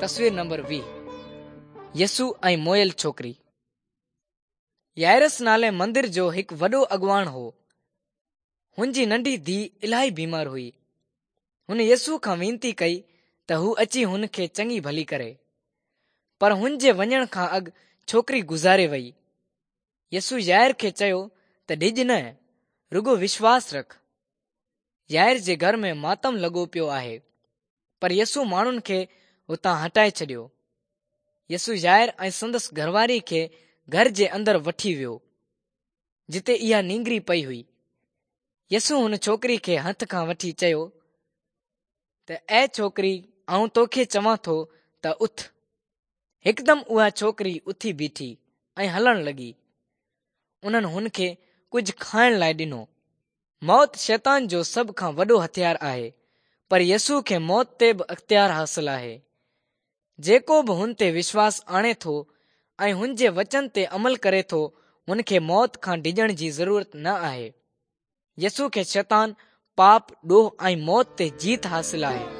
تصوير نمبر 20 يسوع ۽ موئل ڇوڪري. يائرس نالي مندر جو هڪ وڏو اڳواڻ هو. هن جي ننڍي ڌيء الاهي بيمار هئي. هن يسوع کان وينتي ڪئي ته هو اچي هن کي چڱي ڀلي ڪري. پر هن جي وڃڻ کان اڳ ڇوڪري گذاري وئي. يسوع يائر کي چيو ته ڊڄ نه، رڳو وشواس رک. يائر جي گهر ۾ ماتم لڳو پيو آهي. پر يسوع ماڻهن کي هتان هٽائي ڇڏيو. يسوع يائر ۽ سندس گهرواري کي گهر جي اندر وٺي ويو، جتي اها نينگري پئي هئي. يسوع هن ڇوڪري کي هٿ کان وٺي چيو ته اي ڇوڪري آئون توکي چوان ٿو ته اٿ. هڪدم اها ڇوڪري اٿي بيٺي ۽ هلڻ لڳي. انهن هن کي ڪجهه کائڻ لاء ڏنو. موت شيطان جو سڀ کان وڏو هٿيار آهي، پر يسوع کي موت تي به اختيار حاصل آهي. جيڪو به هن تي وشواس آڻي ٿو ۽ هن جي وچن تي عمل ڪري ٿو، هن کي موت کان ڊڄڻ جي ضرورت نه آهي. يسوع کي شيطان، پاپ، ڏوهه ۽ موت تي جيت حاصل آهي.